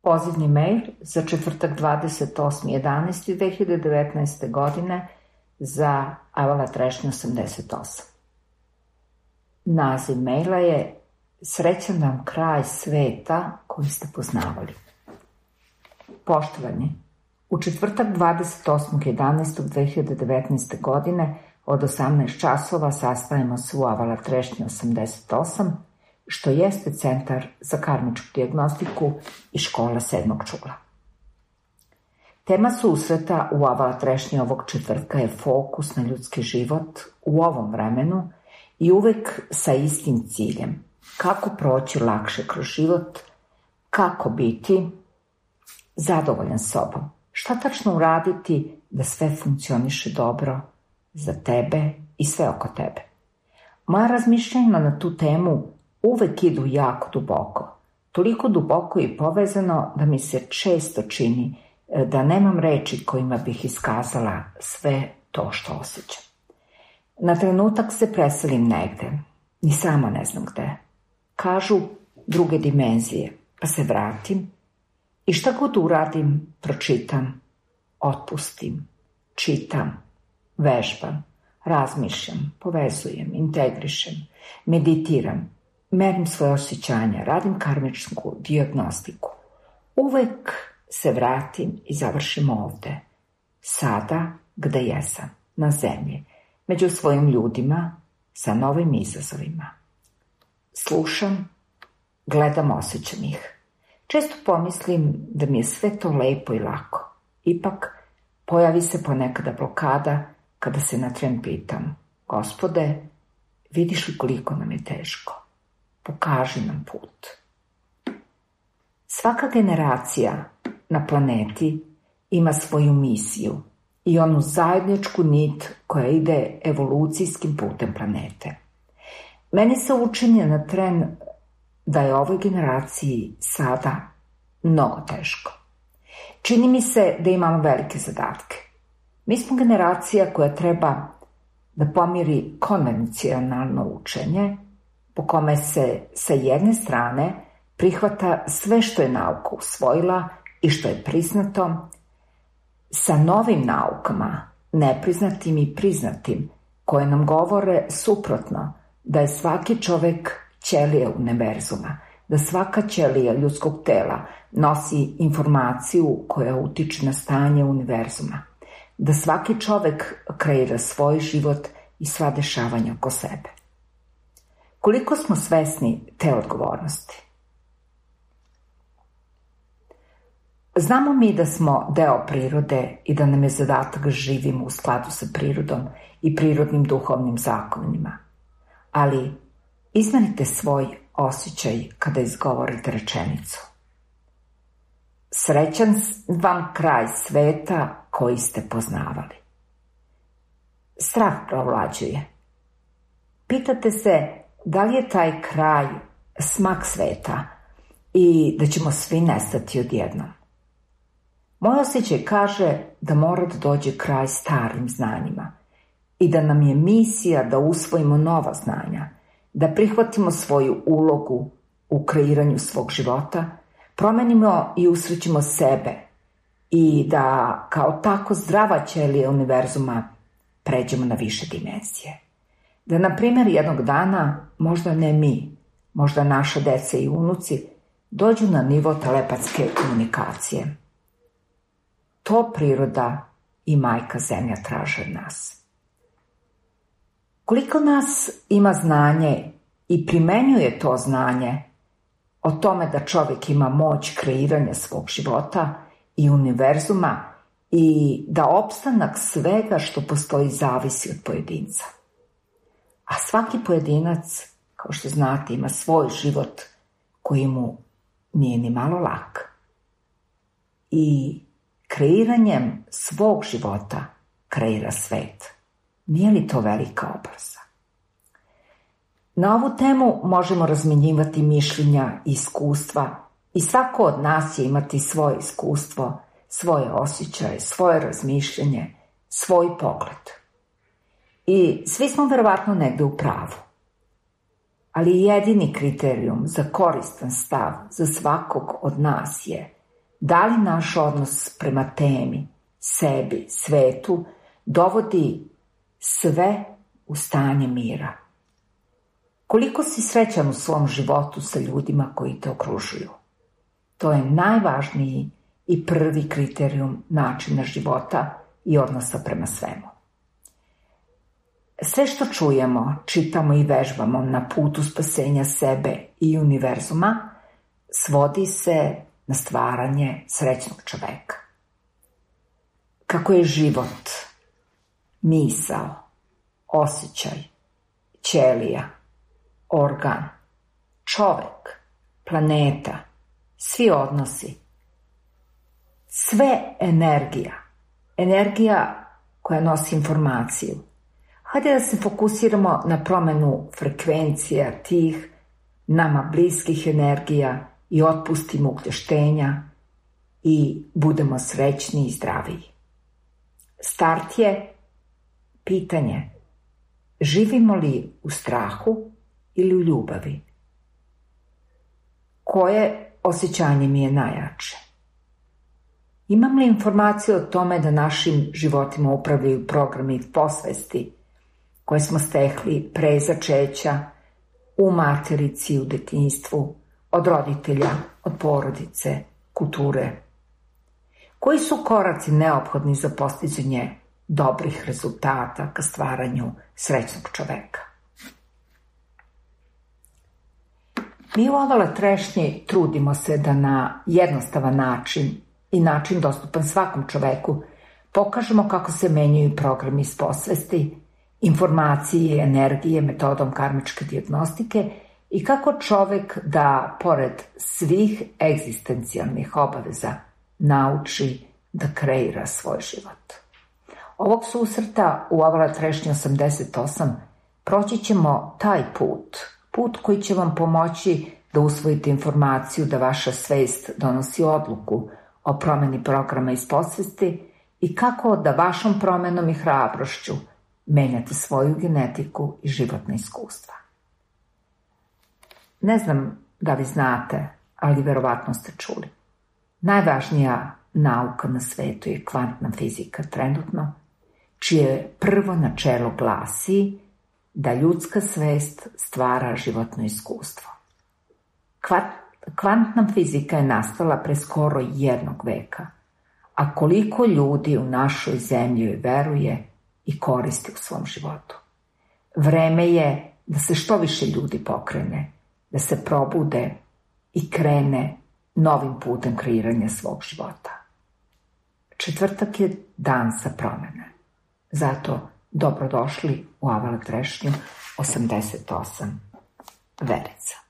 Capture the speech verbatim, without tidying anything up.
Pozivni mail za četvrtak dvadeset osmi jedanaesti dve hiljade devetnaeste. godine za Avala Trešnja osamdeset osam. Naziv maila je Srećan vam kraj sveta koji ste poznavali. Poštovani, u četvrtak dvadeset osmog jedanaestog dve hiljade devetnaeste. godine od osamnaest časova sastajemo se u Avala Trešnja osamdeset osam, što jeste centar za karmičku dijagnostiku i škola sedmog čula. Tema susreta u Avala Trešnji ovog četvrtka je fokus na ljudski život u ovom vremenu i uvek sa istim ciljem. Kako proći lakše kroz život, kako biti zadovoljan sobom. Šta tačno uraditi da sve funkcioniše dobro za tebe i sve oko tebe. Moja razmišljanja na tu temu uvek idu jako duboko. Toliko duboko i povezano da mi se često čini da nemam reči kojima bih iskazala sve to što osjećam. Na trenutak se preselim negde, ni sama ne znam gde. Kažu druge dimenzije, pa se vratim i šta god uradim, pročitam, otpustim, čitam, vežbam, razmišljam, povezujem, integrišem, meditiram, merim svoje osjećanja, radim karmičku dijagnostiku. Uvek se vratim i završim ovde, sada gde jesam, na zemlji, među svojim ljudima, sa novim izazovima. Slušam, gledam, osjećam ih. Često pomislim da mi je sve to lepo i lako. Ipak, pojavi se ponekada blokada kada se na tren pitam: Gospode, vidiš li koliko nam je teško? Pokaži nam put. Svaka generacija na planeti ima svoju misiju i onu zajedničku nit koja ide evolucijskim putem planete. Meni se učini na tren da je ovoj generaciji sada mnogo teško. Čini mi se da imamo velike zadatke. Mi smo generacija koja treba da pomiri konvencionalno učenje, po kome se sa jedne strane prihvata sve što je nauka usvojila i što je priznato, sa novim naukama, nepriznatim i priznatim, koje nam govore suprotno, da je svaki čovek ćelija univerzuma, da svaka ćelija ljudskog tela nosi informaciju koja utiče na stanje univerzuma, da svaki čovek kreira svoj život i sva dešavanja oko sebe. Koliko smo svesni te odgovornosti? Znamo mi da smo deo prirode i da nam je zadatak da živimo u skladu sa prirodom i prirodnim duhovnim zakonima. Ali izmenite svoj osjećaj kada izgovorite rečenicu: Srećan vam kraj sveta koji ste poznavali. Strah provlađuje. Pitate se da li je taj kraj smak sveta i da ćemo svi nestati odjednom. Moj osjećaj kaže da mora da dođe kraj starim znanjima i da nam je misija da usvojimo nova znanja, da prihvatimo svoju ulogu u kreiranju svog života, promenimo i usrećimo sebe i da kao tako zdrava ćelija univerzuma pređemo na više dimenzije. Da, na primjer, jednog dana, možda ne mi, možda naša deca i unuci, dođu na nivo telepatske komunikacije. To priroda i majka zemlja traže od nas. Koliko nas ima znanje i primenjuje to znanje o tome da čovjek ima moć kreiranja svog života i univerzuma i da opstanak svega što postoji zavisi od pojedinca. A svaki pojedinac, kao što znate, ima svoj život koji mu nije ni malo lak. I kreiranjem svog života kreira svet. Nije li to velika obaveza? Na ovu temu možemo razmjenjivati mišljenja i iskustva i svako od nas će imati svoje iskustvo, svoje osjećaje, svoje razmišljanje, svoj pogled. I svi smo verovatno negde u pravu. Ali jedini kriterijum za koristan stav za svakog od nas je Da li naš odnos prema temi, sebi, svetu, dovodi sve u stanje mira? Koliko si srećan u svom životu sa ljudima koji te okružuju? To je najvažniji i prvi kriterijum načina života i odnosa prema svemu. Sve što čujemo, čitamo i vežbamo na putu spasenja sebe i univerzuma svodi se na stvaranje srećnog čoveka. Kako je život, misao, osjećaj, ćelija, organ, čovek, planeta, svi odnosi, sve energija, energija koja nosi informaciju. Hajde da se fokusiramo na promenu frekvencija tih nama bliskih energija i otpustimo ukleštenja i budemo srećni i zdraviji. Start je pitanje: živimo li u strahu ili u ljubavi? Koje osjećanje mi je najjače? Imam li informaciju o tome da našim životima upravljaju programi podsvesti koje smo stekli pre začeća, u materici, u detinjstvu, od roditelja, od porodice, kulture? Koji su koraci neophodni za postizanje dobrih rezultata ka stvaranju srećnog čoveka? Mi u Avala Trešnji trudimo se da na jednostavan način i način dostupan svakom čoveku pokažemo kako se menjaju programi iz podsvesti, informacije i energije metodom karmičke dijagnostike i kako čovek da, pored svih egzistencijalnih obaveza, nauči da kreira svoj život. Ovog susreta u Avala Trešnji osamdeset osam proći ćemo taj put, put koji će vam pomoći da usvojite informaciju da vaša svest donosi odluku o promeni programa iz podsvesti i kako da vašom promenom i hrabrošću menjate svoju genetiku i životne iskustva. Ne znam da li znate, ali verovatno ste čuli. Najvažnija nauka na svetu je kvantna fizika trenutno, čije prvo načelo glasi da ljudska svest stvara životno iskustvo. Kvantna fizika je nastala pre skoro jednog veka, a koliko ljudi u našoj zemlji veruje i koristi u svom životu. Vreme je da se što više ljudi pokrene, da se probude i krene novim putem kreiranja svog života. Četvrtak je dan za promene. Zato dobrodošli u Avala Trešnju osamdeset osam Verica.